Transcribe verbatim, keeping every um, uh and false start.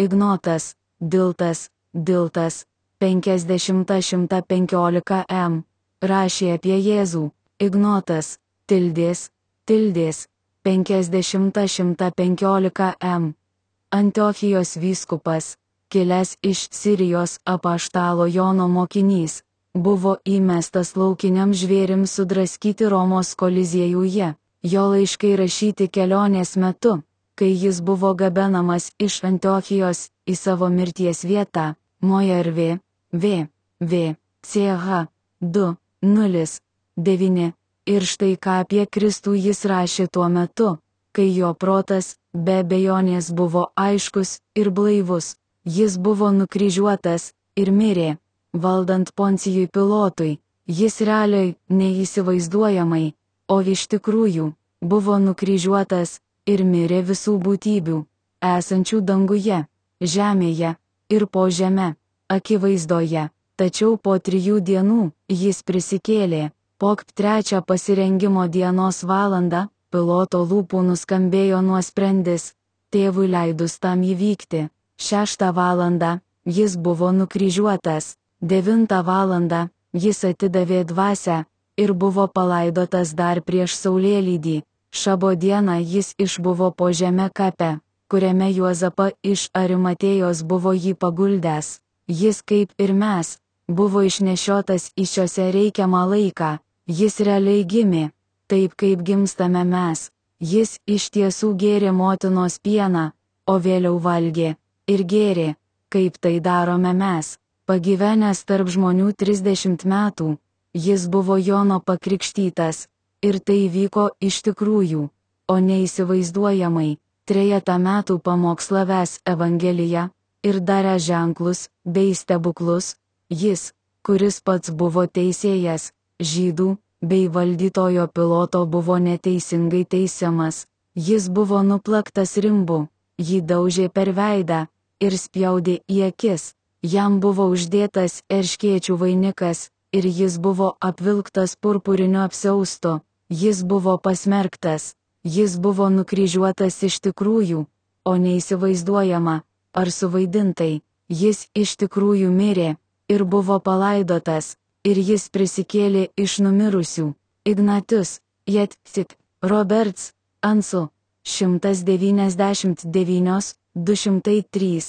Ignotas, Diltas, Diltas, penkiasdešimt šimtas penkiolika m. Rašė apie Jėzų. Ignotas, Tildės, Tildės, penkiasdešimt šimtas penkiolika m. Antiochijos vyskupas, kilęs iš Sirijos apaštalo Jono mokinys, buvo įmestas laukiniam žvėrims sudraskyti Romos koliziejuje. Jo laiškai rašyti kelionės metu, kai jis buvo gabenamas iš Antiochijos į savo mirties vietą, Mojervė, V, V, C H, du, nulis, devyni. Ir štai ką apie Kristų jis rašė tuo metu, kai jo protas, be abejonės buvo aiškus ir blaivus. Jis buvo nukryžiuotas ir mirė, valdant Poncijui Pilotui. Jis realiai, neįsivaizduojamai, o iš tikrųjų, buvo nukryžiuotas ir mirė visų būtybių, esančių danguje, žemėje ir po žeme, akivaizdoje. Tačiau po trijų dienų jis prisikėlė. Po trečią pasirengimo dienos valandą, Piloto lūpų nuskambėjo nuosprendis, tėvui leidus tam įvykti. Šeštą valandą jis buvo nukryžiuotas. Devintą valandą jis atidavė dvasią ir buvo palaidotas dar prieš saulėlydį. Šabo dieną jis išbuvo po žeme kape, kuriame Juozapa iš Arimatėjos buvo jį paguldęs. Jis kaip ir mes, buvo išnešiotas į šiose reikiamą laiką. Jis realiai gimė, taip kaip gimstame mes. Jis iš tiesų gėrė motinos pieną, o vėliau valgė ir gėrė, kaip tai darome mes. Pagyvenęs tarp žmonių trisdešimt metų, jis buvo Jono pakrikštytas, ir tai vyko iš tikrųjų, o neįsivaizduojamai. Trejetą metų pamokslavęs Evangeliją ir daręs ženklus bei stebuklus, jis, kuris pats buvo teisėjas žydų bei valdytojo Piloto, buvo neteisingai teisiamas. Jis buvo nuplaktas rimbu, jį daužė per veidą ir spjaudė į akis. Jam buvo uždėtas erškėčių vainikas ir jis buvo apvilktas purpuriniu apsiaustu. Jis buvo pasmerktas. Jis buvo nukryžiuotas iš tikrųjų, o neįsivaizduojama ar suvaidintai. Jis iš tikrųjų mirė ir buvo palaidotas. Ir jis prisikėlė iš numirusių. Ignatius, Jetsik, Roberts, Ansu, šimtas devyniasdešimt devyni, du šimtai trys.